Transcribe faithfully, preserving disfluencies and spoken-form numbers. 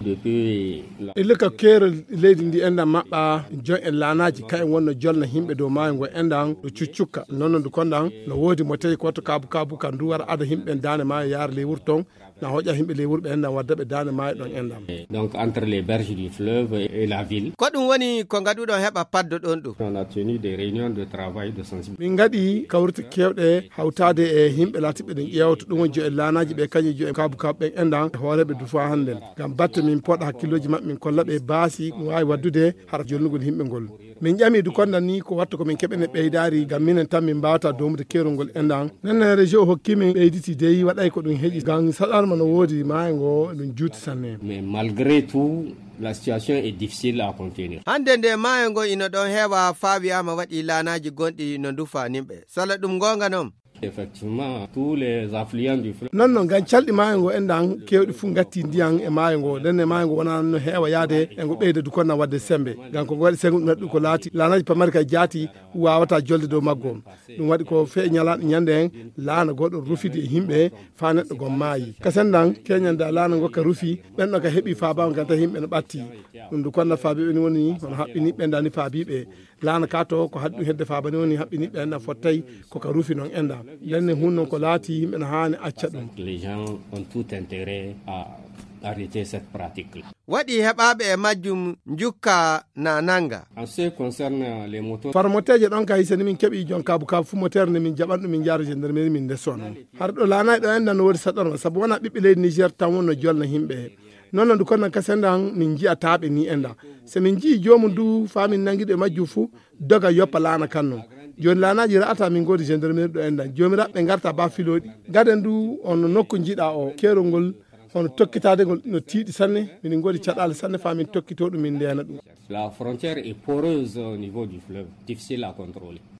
Depuis la- Illa ka keerol leydi ndi enɗan maɓɓa, jon en laanaaji ka en wonno jolna yimɓe dow maayo ngo enɗan no cuccukka. Non non du konɗan no woodi mo tawi ko watto kaabu kaabu ka ndu wara ada yimɓe daande maayo yaara ley wuro ton. Na hoƴa yimɓe ley wuro ɓe enɗan wadda ɓe daande maayo ɗon enɗan. Donc entre les berges du fleuve et la ville. Ko ɗum woni ko ngaɗuɗon heɓa paddo ɗon ɗum. On a tenu des réunions de travail de sensibilisation. Min ngaɗi kawrite kewɗe hawtaade e yimɓe laatiɓe ɗen ƴeewto ɗum woni jo e laanaaji ɓe kañum jo e kaabu kaabu ɓen enɗan e hooreeɓe du faa hannden. Ngam batte min poɗa hakkillooji maɓɓe min kolla ɓe baasi ɗum waawi waddude hara jolnugol yimɓe ngol. Min ƴami du konɗan ni ko wattu ko min keɓene ɓeydaari ngam minen tan min mbaawata doomude keerol ngol enɗan. Nden ne région o hokki min ɓeyditi dey waɗay ko ɗum heƴi ngam saɗarma no woodi maayo ngo ɗum juuti sanne. Mais malgré tout, la situation est difficile à contenir. Hannde nde maayo ngo ino ɗon heewa faa wiyaama waɗi laanaaji gonɗi no ndufa nimɓe. Sala ɗum ngoonga non? Effectivement, tous les affluents du fleuve. Non non ngam calɗi maayo ngo enɗan keewɗi fuu ngatti ndiyan e maayo ngo. Nden ne maayo ngo wonaa no heewa yaade e ngo ɓeyda du konɗan wadde sembe. Ngam ko ngo waɗi sengo ɗum waɗi ɗum ko laati laanaaji pamari ka jaati waawata jolde dow maggo. Ɗum waɗi ko fee ñalaaɗo ñande en laana gooto rufidi e yimɓe faa neɗɗo gom maayi. Ka senɗan keñande laana ngo ka rufi ɓen ɗon ka heɓi faabaago ngam tawi yimɓe no ɓatti. Ɗum du konɗan faabiiɓe ni woni hono haɓɓini ɓen dani faabiiɓe. Laana ka to ko haɗi ɗum hedde faabani woni haɓɓini ɓen ɗan fottay ko ka rufi non enɗan. Nden ne hun non ko laati yimɓe no haani acca ɗum. Les gens ont tout intérêt à arrêter cette pratique. Waɗi heɓaaɓe e majjum njukka na nannga. En ce qui concerne les motos. Farmoteeje ɗon ka hisa ni min keɓi jon kaabu kaabu fuu moteer nde min jaɓan ɗum min njaara gendarmerie min ndeso non. Har ɗo laanay ɗo enɗan no woodi saɗorma sabu wona ɓiɓɓe leydi Niger tan wonno jolna yimɓe. Non non du konɗan kasenɗan min nji'ataaɓe ni enɗan. So min nji'i joomum du faa min nanngiɗo e majjum fuu doga yoppa laana kan non. Jooni laanaaji ra'ata min ngoodi gendarmerie ɗo enɗan. Joomiraɓe ngarta ba filooɗi. Gaden du on nokku njiɗa o keerol ngol hono tokkitaade ngol no tiiɗi sanne. Min ngoodi caɗaale sanne faa min tokkitoo ɗum min ndeena ɗum. La frontière est poreuse au niveau du fleuve, difficile à contrôler.